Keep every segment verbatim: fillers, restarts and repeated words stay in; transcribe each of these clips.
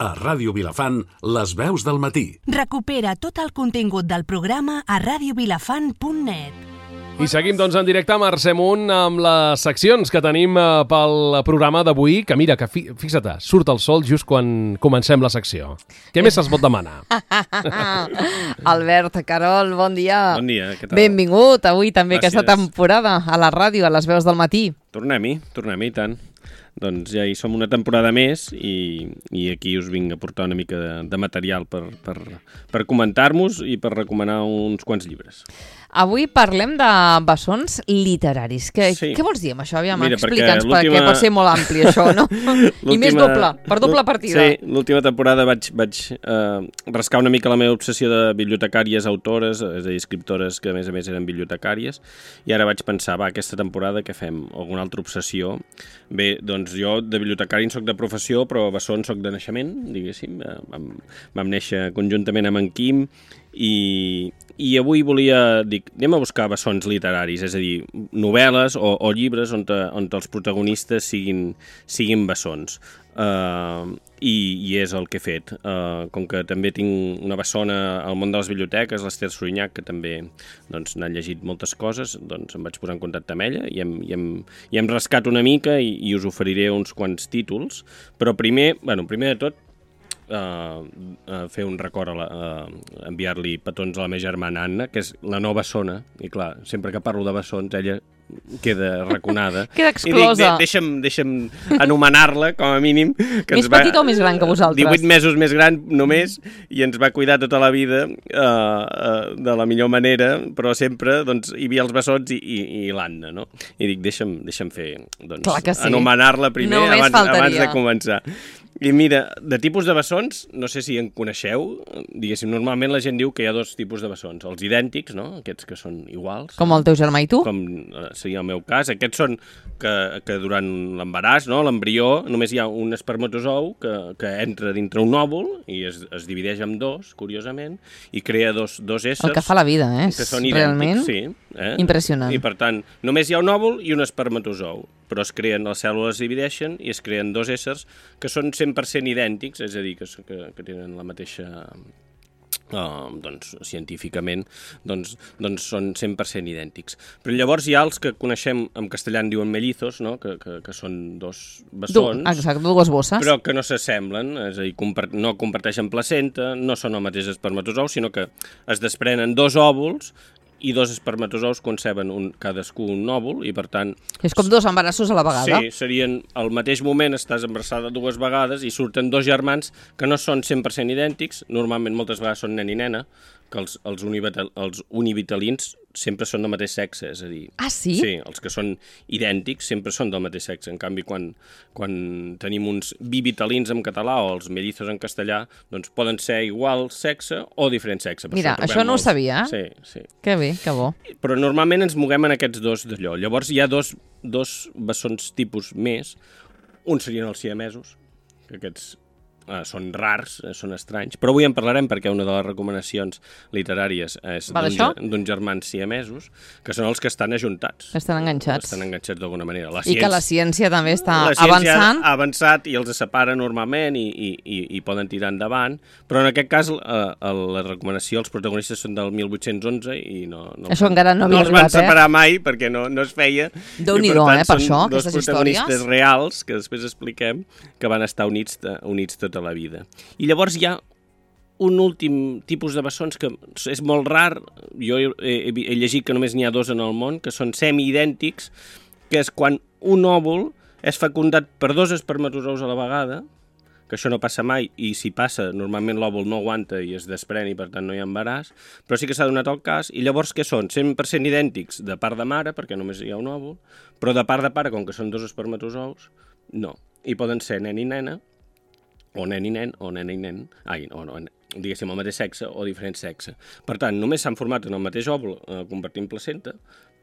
A Ràdio Vilafant, les veus del matí. Recupera tot el contingut del programa a radio vilafant punt net. I seguim, doncs, en directe a Mercè Munt amb les seccions que tenim eh, pel programa d'avui, que mira, que fi, fixa't, surt el sol just quan comencem la secció. Què més es pot demanar? Albert, Carol, bon dia. Bon dia, què tal? Benvingut avui també Gràcies. aquesta temporada a la ràdio, a les veus del matí. Tornem-hi, tornem-hi, i tant. Doncs ja hi som una temporada més i, i aquí us vinc a portar una mica de, de material per, per, per comentar-nos i per recomanar uns quants llibres. Avui parlem de bessons literaris. Què, Sí. què vols dir amb això? Aviam, Mira, explica'ns, perquè perquè, l'última- pot ser molt ampli això, no? I més doble, per doble partida. Sí, l'última temporada vaig, vaig eh, rascar una mica la meva obsessió de bibliotecàries autores, és a dir, escriptores que a més a més eren bibliotecàries, i ara vaig pensar, va, aquesta temporada què fem? Alguna altra obsessió? Bé, doncs jo de bibliotecari en soc de professió, però bessons soc de naixement, diguéssim. Eh, Vam, vam néixer conjuntament amb en Quim, i, i avui volia, dic, anem a buscar bessons literaris, és a dir, novel·les o, o llibres on, te, on els protagonistes siguin, siguin bessons. Uh, i, i és el que he fet. Uh, com que també tinc una bessona al món de les biblioteques, l'Ester Sorinyac, que també doncs, n'ha llegit moltes coses, doncs em vaig posar en contacte amb ella i hem, i hem, i hem rascat una mica i, i us oferiré uns quants títols, però primer, bueno, primer de tot, Uh, uh, fer un record, a la, uh, enviar-li petons a la meva germana Anna, que és la nova bessona, i clar, sempre que parlo de bessons, ella queda raconada. Queda exclosa. I dic, de, deixa'm, deixa'm anomenar-la, com a mínim. Que Més petita o més gran que vosaltres? divuit mesos més gran, només, i ens va cuidar tota la vida uh, uh, de la millor manera, però sempre doncs, hi havia els bessons i, i, i l'Anna, no? I dic, deixa'm, deixa'm fer, doncs, Clar que sí. anomenar-la primer Només abans, faltaria. abans de començar. I mira, de tipus de bessons, no sé si en coneixeu, diguéssim, normalment la gent diu que hi ha dos tipus de bessons, els idèntics, no?, aquests que són iguals, Com el teu germà i tu? com eh, seria el meu cas. Aquests són que, que durant l'embaràs, no, l'embrió, només hi ha un espermatozou que, que entra dintre un òvul i es, es divideix en dos, curiosament, i crea dos, dos éssers. El que fa la vida, eh? Que són Realment idèntics, sí. Eh? impressionant. I per tant, només hi ha un òvul i un espermatozou, però es creen, les cèl·lules es divideixen i es creen dos éssers que són cent per cent idèntics, és a dir, que, que, que tenen la mateixa... Uh, doncs, científicament, doncs, doncs són cent per cent idèntics. Però llavors hi ha els que coneixem, en castellà en diuen mellizos, no? que, que, que són dos bessons, Du, exacte, dues bosses. però que no s'assemblen, és a dir, compart no comparteixen placenta, no són el mateix espermatozou, sinó que es desprenen dos òvuls i dos espermatozous conceben un, cadascú un òvul, i per tant... És com dos embarassos a la vegada. Sí, serien al mateix moment estàs embarassada dues vegades i surten dos germans que no són cent per cent idèntics, normalment moltes vegades són nen i nena, que els, els, univital, els univitalins sempre són del mateix sexe, és a dir... Ah, sí? Sí, els que són idèntics sempre són del mateix sexe. En canvi, quan, quan tenim uns bivitalins en català o els mellizos en castellà, doncs poden ser igual sexe o diferent sexe. Per Mira, trobem això no ho molts. sabia. Sí, sí. Que bé, que bo. Però normalment ens moguem en aquests dos d'allò. Llavors hi ha dos, dos bessons tipus més. Uns serien els siamesos, que aquests eh, són rars, eh, són estranys, però avui en parlarem perquè una de les recomanacions literàries és Va d'un d'això? ge- d'uns germans siamesos, que són els que estan ajuntats. Estan enganxats. Estan enganxats d'alguna manera. La I que la ciència també està la ciència avançant. ha avançat i els separa normalment i, i, i, i poden tirar endavant, però en aquest cas eh, la recomanació, els protagonistes són del mil vuit-cents onze i no, no, Això encara no havia no els van arribat, eh? separar mai perquè no, no es feia. Déu-n'hi-do, I, eh, per són això, dos aquestes protagonistes històries. reals, que després expliquem, que van estar units, units tota la vida. I llavors hi ha un últim tipus de bessons que és molt rar, jo he, he, he llegit que només n'hi ha dos en el món, que són semiidèntics, que és quan un òvul és fecundat per dos espermatozous a la vegada, que això no passa mai, i si passa, normalment l'òvul no aguanta i es desprèn i per tant no hi ha embaràs, però sí que s'ha donat el cas, i llavors què són? cent per cent idèntics de part de mare, perquè només hi ha un òvul, però de part de pare, com que són dos espermatozous, no. I poden ser nen i nena, o nen i nen, o nena i nen, ai, o no, diguéssim, el mateix sexe o diferent sexe. Per tant, només s'han format en el mateix òvul, eh, compartint placenta,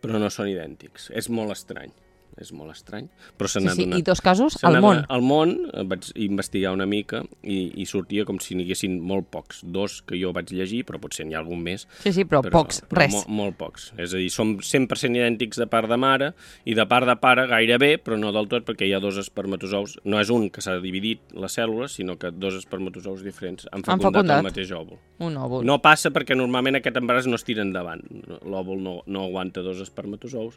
però no són idèntics. És molt estrany. és molt estrany, però se n'ha Sí, sí, donat. i dos casos Se al n'ha món. donat- Al món eh, vaig investigar una mica i, i sortia com si n'hi haguessin molt pocs. Dos que jo vaig llegir, però potser n'hi ha algun més. Sí, sí, però pocs, però res. Molt, molt pocs. És a dir, som cent per cent idèntics de part de mare i de part de pare gairebé, però no del tot, perquè hi ha dos espermatozous. No és un que s'ha dividit les cèl·lules, sinó que dos espermatozous diferents han Han fecundat, fecundat. el mateix òvul. Un òvul. No passa perquè normalment aquest embaràs no es tira endavant. L'òvul no, no aguanta dos espermatozous,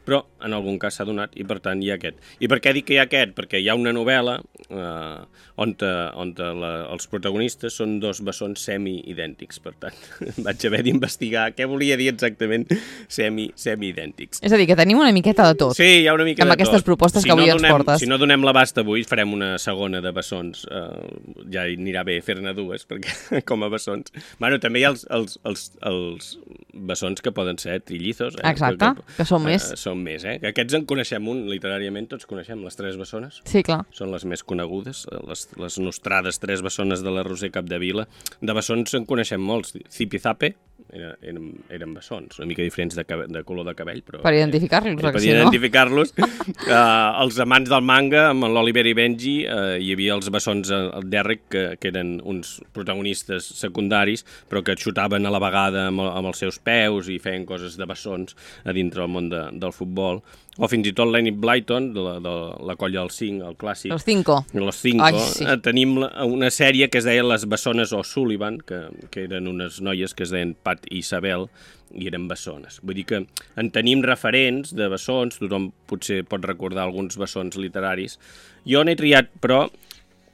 però en algun cas s'ha donat i per tant hi ha aquest. I per què dic que hi ha aquest? Perquè hi ha una novel·la eh, on, te, on te la, els protagonistes són dos bessons semi-idèntics, per tant vaig haver d'investigar què volia dir exactament semi, semi-idèntics. És a dir, que tenim una miqueta de tot. Sí, hi ha una mica Amb de aquestes tot. propostes si que avui no ens donem, portes. Si no donem l'abast avui, farem una segona de bessons. Uh, ja anirà bé fer-ne dues, perquè com a bessons... Bueno, també hi ha els, els, els, els bessons que poden ser trillizos. Eh? Exacte, que, que són eh, més. Són més, eh? Aquests en coneixem un, literàriament tots coneixem les tres bessones. Sí, clar. Són les més conegudes, les, les nostrades tres bessones de la Roser Capdevila. De bessons en coneixem molts. Zipizape, era, eren, eren bessons, una mica diferents de, cabe, de color de cabell. Però, Per identificar-los, eh, que per si no... identificar-los. uh, els amants del manga, amb l'Oliver i Benji, uh, hi havia els bessons al Derrick, que, que eren uns protagonistes secundaris, però que xutaven a la vegada amb, amb els seus peus i feien coses de bessons a dintre del món de, del futbol. O fins i tot l'Enid Blyton, de la, de la colla dels cinc, el clàssic. Els cinco. Los Cinco. Ai, sí. eh, Tenim la- una sèrie que es deia Les Bessones O'Sullivan, que, que eren unes noies que es deien Pat i Isabel, i eren bessones. Vull dir que en tenim referents de bessons, tothom potser pot recordar alguns bessons literaris. Jo n'he triat, però,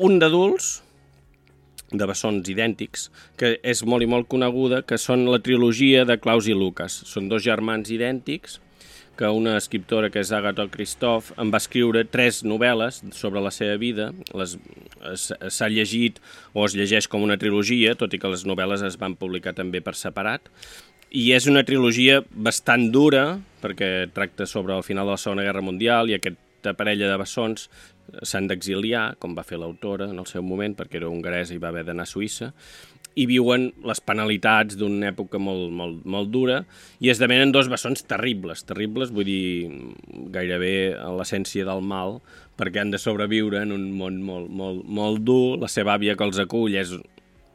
un d'adults, de bessons idèntics, que és molt i molt coneguda, que són la trilogia de Klaus i Lucas. Són dos germans idèntics, que una escriptora que és Agatha Christoph en va escriure tres novel·les sobre la seva vida. Les, s'ha llegit o es llegeix com una trilogia, tot i que les novel·les es van publicar també per separat. I és una trilogia bastant dura, perquè tracta sobre el final de la Segona Guerra Mundial i aquesta parella de bessons s'han d'exiliar, com va fer l'autora en el seu moment, perquè era hongaresa i va haver d'anar a Suïssa, i viuen les penalitats d'una època molt, molt, molt dura i esdevenen dos bessons terribles, terribles, vull dir, gairebé a l'essència del mal, perquè han de sobreviure en un món molt, molt, molt dur. La seva àvia que els acull és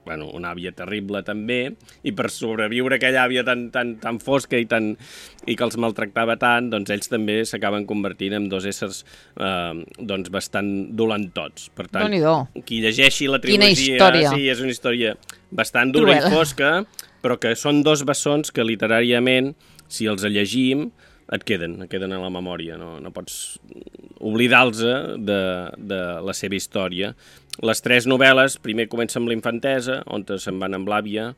bueno, una àvia terrible també, i per sobreviure aquella àvia tan, tan, tan fosca i, tan, i que els maltractava tant, doncs ells també s'acaben convertint en dos éssers eh, doncs bastant dolentots. Per tant, Déu-n'hi-do. qui llegeixi la Quina trilogia... història. Sí, és una història bastant dura Cruel. i fosca, però que són dos bessons que literàriament, si els llegim, et queden, et queden a la memòria, no, no pots oblidar-los de, de la seva història. Les tres novel·les, primer comença amb la infantesa, on se'n van amb l'àvia,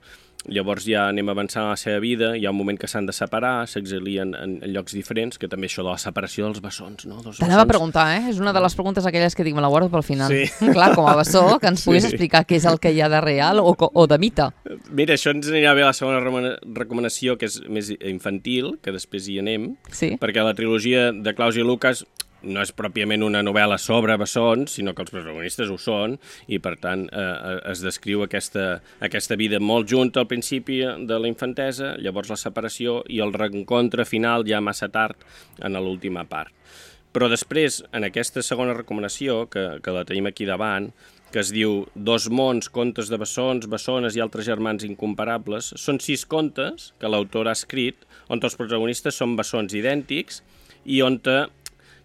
llavors ja anem avançant a la seva vida, hi ha un moment que s'han de separar, s'exilien en, en llocs diferents, que també això de la separació dels bessons, no? Dos T'anava a bessons. preguntar, eh? És una de les preguntes aquelles que dic, me la guardo pel final. Sí. Clar, com a bessó, que ens puguis Sí. explicar què és el que hi ha de real o, co- o de mite. Mira, això ens anirà bé a la segona remana- recomanació, que és més infantil, que després hi anem, Sí. perquè la trilogia de Klaus i Lucas no és pròpiament una novel·la sobre bessons, sinó que els protagonistes ho són, i per tant eh, es descriu aquesta, aquesta vida molt junta al principi de la infantesa, llavors la separació i el reencontre final ja massa tard en l'última part. Però després, en aquesta segona recomanació, que, que la tenim aquí davant, que es diu Dos mons, contes de bessons, bessones i altres germans incomparables, són sis contes que l'autor ha escrit, on els protagonistes són bessons idèntics i on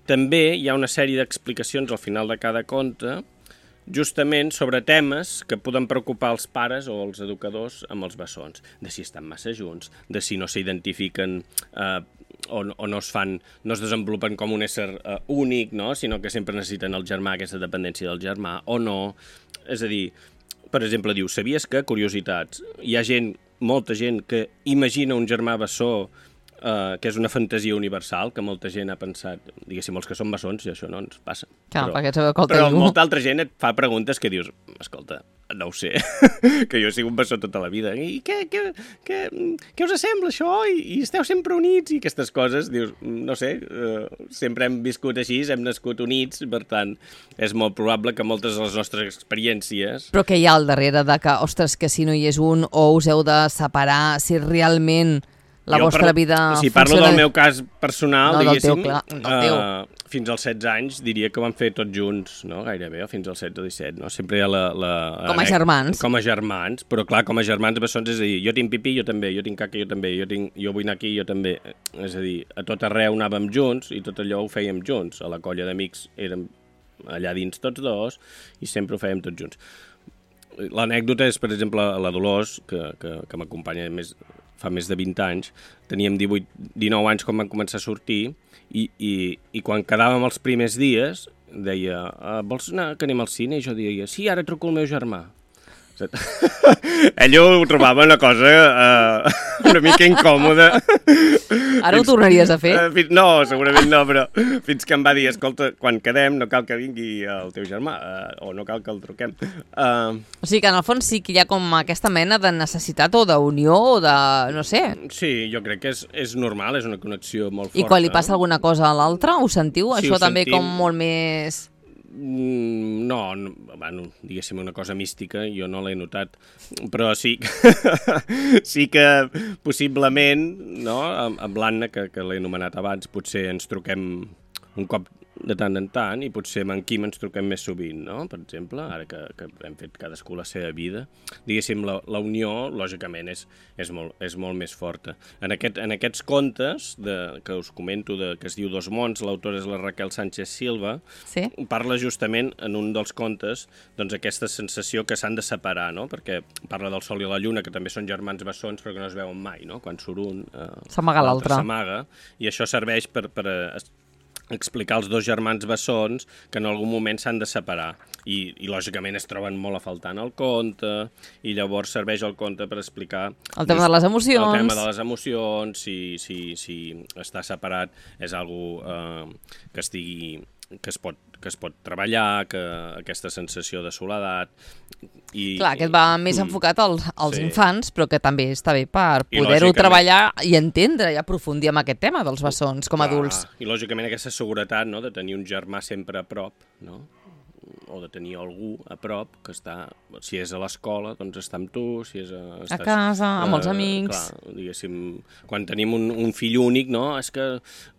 també hi ha una sèrie d'explicacions al final de cada conte, justament sobre temes que poden preocupar els pares o els educadors amb els bessons, de si estan massa junts, de si no s'identifiquen eh, o, o no es fan, no es desenvolupen com un ésser eh, únic, no? Sinó que sempre necessiten el germà, aquesta dependència del germà, o no. És a dir, per exemple, diu, sabies que, curiositats, hi ha gent, molta gent que imagina un germà bessó Uh, que és una fantasia universal, que molta gent ha pensat, diguéssim, els que són bessons, i això no ens passa. Clar, però, perquè sabeu que el però teniu. molta altra gent et fa preguntes que dius, escolta, no ho sé, que jo sigo un bessó tota la vida, i què, què, què, què us sembla això? I, I esteu sempre units? I aquestes coses, dius, no sé, uh, sempre hem viscut així, hem nascut units, per tant, és molt probable que moltes de les nostres experiències... Però què hi ha al darrere de que, ostres, que si no hi és un o us heu de separar, si realment La jo vostra per, vida Si parlo funciona... del meu cas personal, no, del teu, diguéssim, clar, del teu. Uh, fins als setze anys diria que ho vam fer tots junts, no? Gairebé, o fins als setze o disset, no? Sempre hi ha la... la com a germans. Com a germans, però clar, com a germans bessons, és a dir, jo tinc pipí, jo també, jo tinc caca, jo també, jo, tinc, jo vull anar aquí, jo també. És a dir, a tot arreu anàvem junts i tot allò ho fèiem junts. A la colla d'amics érem allà dins tots dos i sempre ho fèiem tots junts. L'anècdota és, per exemple, la Dolors, que, que, que m'acompanya més, fa més de vint anys, teníem divuit, dinou anys quan vam començar a sortir i, i, i quan quedàvem els primers dies deia, vols anar que anem al cine? I jo deia, sí, ara truco al meu germà. Ell ho trobava una cosa uh, una mica incòmoda. Ara ho tornaries a fer? Uh, fins, no, segurament no, però fins que em va dir, escolta, quan quedem no cal que vingui el teu germà, uh, o no cal que el truquem. Uh, o sigui que en el fons sí que hi ha com aquesta mena de necessitat o d'unió o de... no sé. Sí, jo crec que és, és normal, és una connexió molt forta. I quan li passa alguna cosa a l'altre, ho sentiu? Sí, Això ho també sentim. Com molt més... No, no, bueno, diguéssim una cosa mística, jo no l'he notat, però sí que, sí que possiblement, no, amb, amb l'Anna, que, que l'he anomenat abans, potser ens truquem un cop de tant en tant i potser amb en Quim ens truquem més sovint, no? Per exemple, ara que, que hem fet cadascú la seva vida. Diguéssim, la, la unió, lògicament, és, és, molt, és molt més forta. En, aquest, en aquests contes de, que us comento, de, que es diu Dos mons, l'autora és la Raquel Sánchez Silva, sí? Parla justament en un dels contes doncs aquesta sensació que s'han de separar, no? Perquè parla del Sol i la Lluna, que també són germans bessons però que no es veuen mai, no? Quan surt un, eh, s'amaga l'altre. S'amaga, i això serveix per, per eh, explicar als dos germans bessons que en algun moment s'han de separar i, i lògicament es troben molt a faltar en el conte i llavors serveix el conte per explicar el tema de les emocions, el tema de les emocions, si, si, si estar separat és algo eh, que estigui que es pot, que es pot treballar, que aquesta sensació de soledat. I, clar, aquest va més mm, enfocat als, als sí. infants, però que també està bé per I poder-ho treballar i entendre i aprofundir en aquest tema dels bessons com a clar, adults. I lògicament aquesta seguretat, no?, de tenir un germà sempre a prop, no?, o de tenir algú a prop que està, si és a l'escola, doncs està amb tu, si és a... Estàs, a casa, amb els amics... Clar, diguéssim, quan tenim un, un fill únic, no?, és que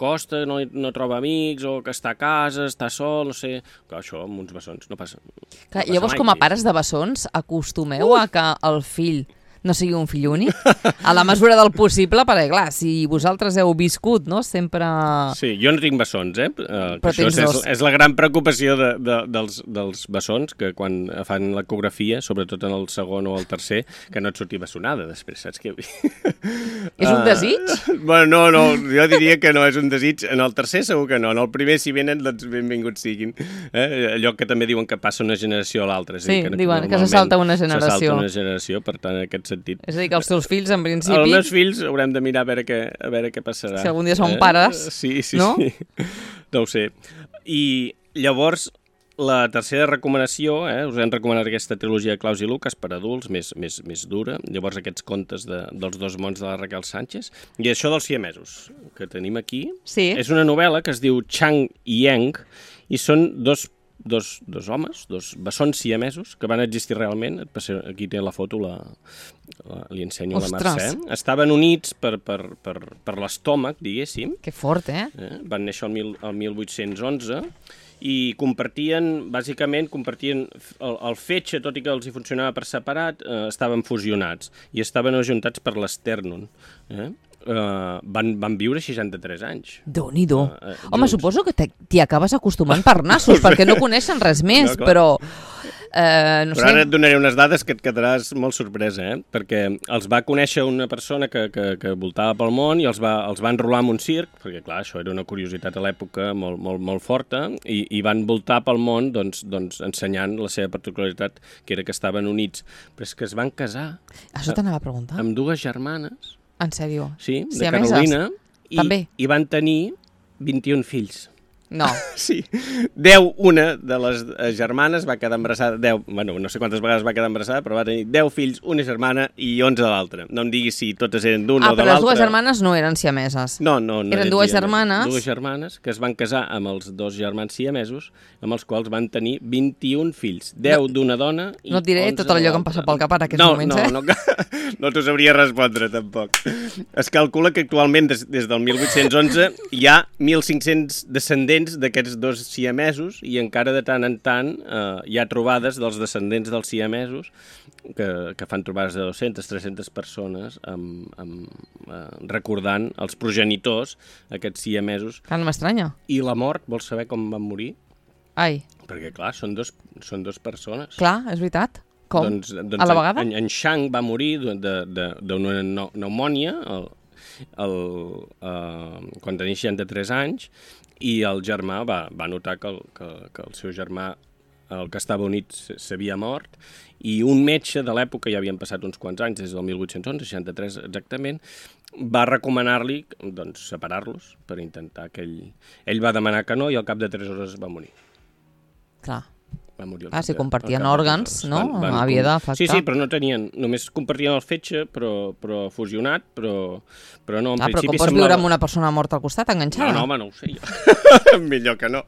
costa, no, no troba amics, o que està a casa, està sol, no sé... Clar, això amb uns bessons no passa. Clar, no passa llavors, mai. Com a pares de bessons, acostumeu uh! a que el fill no sigui un fill únic, a la mesura del possible, perquè, clar, si vosaltres heu viscut, no?, sempre... Sí, jo no tinc bessons, eh? Uh, Però això tens és, dos. és la gran preocupació de, de, dels, dels bessons, que quan fan l'ecografia, sobretot en el segon o el tercer, que no et surti bessonada després, saps què? És un desig? Uh, bueno, no, no, jo diria que no és un desig. En el tercer segur que no. En el primer, si venen, doncs benvinguts siguin. Eh? Allò que també diuen que passa una generació a l'altra. Sí, que, diuen que se salta una generació. Se salta una generació, per tant, en aquest sentit. És a dir, que els teus fills, en principi... Els meus fills haurem de mirar a veure què, a veure què passarà. Si algun dia són pares, sí, sí, no? Sí. No ho sé. I llavors, la tercera recomanació, eh, us hem recomanat aquesta trilogia de Claus i Lucas per adults, més, més, més dura. Llavors, aquests contes de, dels Dos mons de la Raquel Sánchez. I això dels siamesos, que tenim aquí. Sí. És una novel·la que es diu Chang i Yang, i són dos Dos, dos homes, dos bessons siamesos que van existir realment. Aquí té la foto, la, la, li ensenyo a la Mercè. Estaven units per, per, per, per l'estómac, diguéssim. Que fort, eh? eh? Van néixer el, mil, el mil vuit-cents onze i compartien, bàsicament, compartien el, el fetge, tot i que els hi funcionava per separat, eh, estaven fusionats i estaven ajuntats per l'estèrnon. Eh? Uh, van, van viure seixanta-tres anys. Déu-n'hi-do. Uh, uh, Home, suposo que t'hi acabes acostumant per nassos, perquè no coneixen res més, no, però... Uh, no però sé. ara et donaré unes dades que et quedaràs molt sorpresa, eh? Perquè els va conèixer una persona que, que, que voltava pel món i els va, els va enrolar en un circ, perquè clar, això era una curiositat a l'època molt, molt, molt forta, i, i van voltar pel món doncs, doncs, ensenyant la seva particularitat, que era que estaven units, però és que es van casar. Això t'anava a preguntar. Amb dues germanes. En sèrio? Sí, de Siameses? Carolina. I, També? I van tenir vint-i-un fills. No. Sí. deu, una de les germanes va quedar embarassada, deu, bueno, no sé quantes vegades va quedar embarassada, però va tenir deu fills, una germana i onze de l'altra. No em diguis si totes eren d'un ah, o de l'altre. Ah, però les dues germanes no eren siameses. No, no, no. Eren dues germanes. Dues germanes que es van casar amb els dos germans siamesos, amb els quals van tenir vint-i-un fills. deu no, d'una dona i no et diré tot allò que em passa pel cap ara, aquests no, moments, no, eh? No, no, no t'ho sabria respondre, tampoc. Es calcula que actualment, des, des del mil vuit-cents onze, hi ha mil cinc-cents descendents d'aquests dos siamesos i encara de tant en tant eh, hi ha trobades dels descendents dels siamesos que, que fan trobades de dues-centes a tres-centes persones amb, amb, eh, recordant els progenitors, aquests siamesos. Clar, no m'estranya. I la mort, vols saber com van morir? Ai. Perquè, clar, són dos, són dos persones. Clar, és veritat. Com? Doncs, doncs a la vegada? En, en Shang va morir d'una pneumònia el, el, uh, quan tenia seixanta-tres anys i el germà va, va notar que el, que, que el seu germà, el que estava unit, s'havia mort i un metge de l'època, ja havien passat uns quants anys, des del mil vuit-cents onze, seixanta-tres exactament, va recomanar-li doncs, separar-los per intentar que ell... Ell va demanar que no i al cap de tres hores va morir. Clar. Va morir ah, si compartien òrgans, no? Van, van, havia d'afectar. Sí, sí, però no tenien... Només compartien el fetge, però, però fusionat, però, però no, en ah, principi però com pots semblava... viure amb una persona morta al costat, enganxada? No, no, home, no ho sé jo. Millor que no.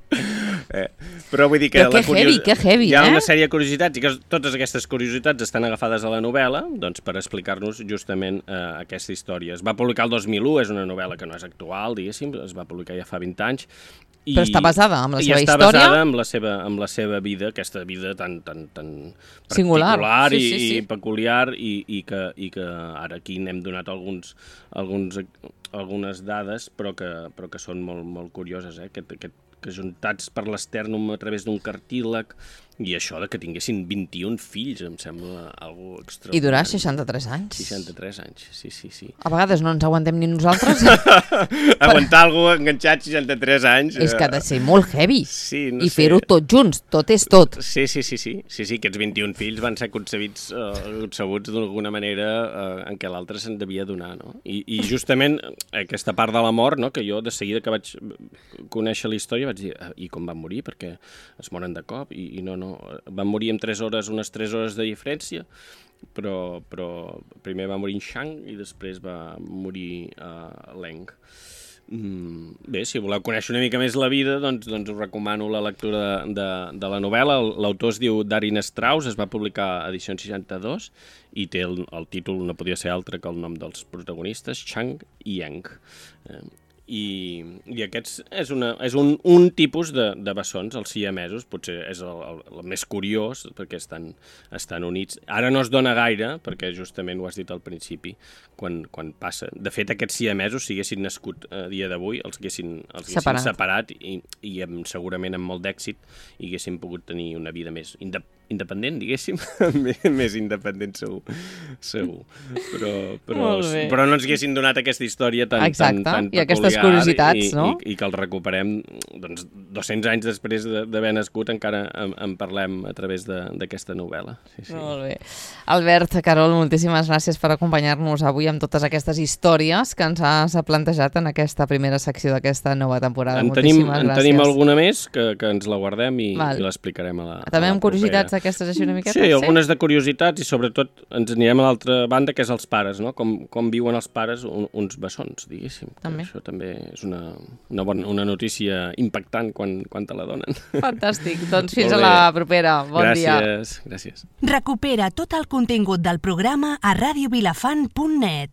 Eh, però vull dir que... Però que curios... heavy, que heavy, hi ha eh? una sèrie de curiositats i que totes aquestes curiositats estan agafades a la novel·la doncs, per explicar-nos justament eh, aquesta història. Es va publicar el dos mil u, és una novel·la que no és actual, diguéssim, es va publicar ja fa vint anys. I, però està basada en la seva i està història? basada en la seva, en la seva vida, aquesta vida tan, tan, tan singular, particular sí, i, sí, sí. i peculiar i, i, que, i que ara aquí n'hem donat alguns, alguns, algunes dades però que, però que són molt, molt curioses, eh? que, que, que juntats per l'estèrnum a través d'un cartílag i això de que tinguessin vint-i-un fills em sembla algo extraordinari. I durar seixanta-tres anys. seixanta-tres anys, sí, sí, sí. A vegades no ens aguantem ni nosaltres. Aguantar algú enganxat seixanta-tres anys... És que ha de ser molt heavy. Sí, no I sé. fer-ho tot junts, tot és tot. Sí, sí, sí, sí, sí, sí, aquests vint-i-un fills van ser concebits, uh, concebuts d'alguna manera uh, en què l'altre se'n devia donar, no? I, I justament aquesta part de la mort, no?, que jo de seguida que vaig conèixer la història vaig dir, uh, i com van morir? Perquè es moren de cop i, i no, no, van morir en tres hores, unes tres hores de diferència, però, però primer va morir en Shang i després va morir uh, Leng. Mm, bé, si voleu conèixer una mica més la vida, doncs, doncs us recomano la lectura de, de, de la novel·la. L'autor es diu Darin Strauss, es va publicar a edició seixanta-dos i té el, el títol, no podia ser altre que el nom dels protagonistes, Chang i Yang. Eh, I, i aquests és, una, és un, un tipus de, de bessons, els siamesos, potser és el, el, el més curiós perquè estan, estan units. Ara no es dona gaire, perquè justament ho has dit al principi, quan, quan passa. De fet, aquests siamesos, si haguessin nascut a dia d'avui, els haguessin, els haguessin separat, separat i, i amb, segurament amb molt d'èxit i haguessin pogut tenir una vida més independent, independent, diguéssim, més independent segur, segur. Però, però, però no ens haguessin donat aquesta història tan, exacte, tan, tan i aquestes curiositats, i, no? I, i que el recuperem doncs, dos-cents anys després d'haver nascut encara en, en parlem a través d'aquesta novel·la. Sí, sí. Molt bé. Albert, Carol, moltíssimes gràcies per acompanyar-nos avui amb totes aquestes històries que ens has plantejat en aquesta primera secció d'aquesta nova temporada. En moltíssimes tenim, gràcies. En tenim alguna més que, que ens la guardem i, i l'explicarem a la També a la amb curiositats aquestes així una miqueta? Sí, algunes de curiositats i sobretot ens anirem a l'altra banda, que és els pares, no? Com, com viuen els pares un, uns bessons, diguéssim. També. Això també és una, una, bona, una notícia impactant quan, quan te la donen. Fantàstic. Doncs fins a la propera. Bon gràcies, dia. Gràcies, gràcies. Recupera tot el contingut del programa a radio vilafant punt net.